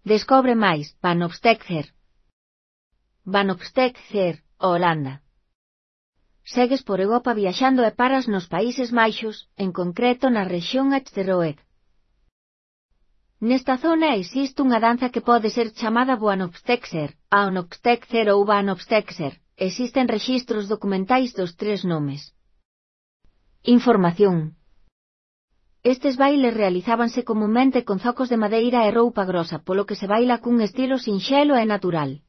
Descobre máis, Van Opstetzer. Van Opstetzer, Holanda. Segues por Europa viaxando e paras nos Países Baixos, en concreto na rexión Achterhoek. Nesta zona existe unha danza que pode ser chamada Van Opstetzer, Van Opstetzer ou Van Opstetzer. Existen rexistros documentais dos tres nomes. Información. Estes bailes realizábanse comunmente con zocos de madeira e roupa grosa, polo que se baila cun estilo sinxelo e natural.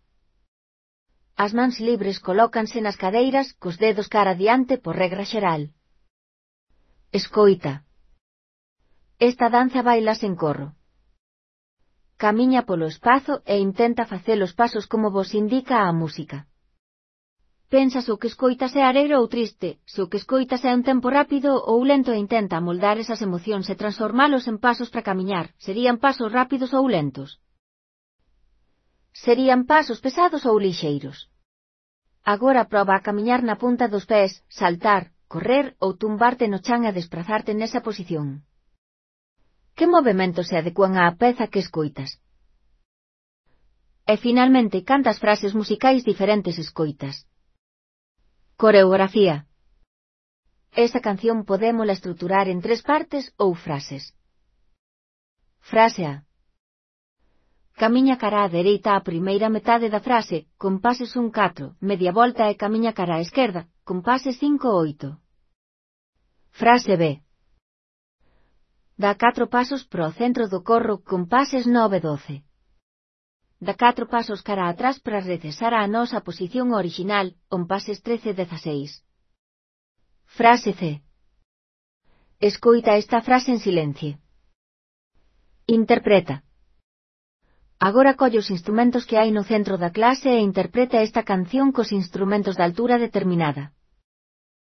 As mans libres colócanse nas cadeiras, cos dedos cara adiante por regra xeral. Escoita. Esta danza bailase en corro. Camiña polo espazo e intenta facer os pasos como vos indica a música. Pensa se o que escoitas é alegre ou triste, se o que escoitas é un tempo rápido ou lento e intenta amoldar esas emocións e transformalos en pasos para camiñar. Serían pasos rápidos ou lentos? Serían pasos pesados ou lixeiros? Agora proba a camiñar na punta dos pés, saltar, correr ou tumbarte no chan e desprazarte nesa posición. Que movementos se adecuan á peza que escoitas? E finalmente, cantas frases musicais diferentes escoitas? Coreografía. Esta canción podémola estruturar en 3 partes ou frases. Frase A. Camiña cara á dereita a primeira metade da frase, compases 1-4, media volta e camiña cara á esquerda, compases 5-8. Frase B. Dá 4 pasos pro centro do corro, compases 9-12. Dá 4 pasos cara atrás para regresar á nosa posición original, compases 13-16. Frase C. Escoita esta frase en silencio. Interpreta. Agora colle os instrumentos que hai no centro da clase e interpreta esta canción cos instrumentos de altura determinada.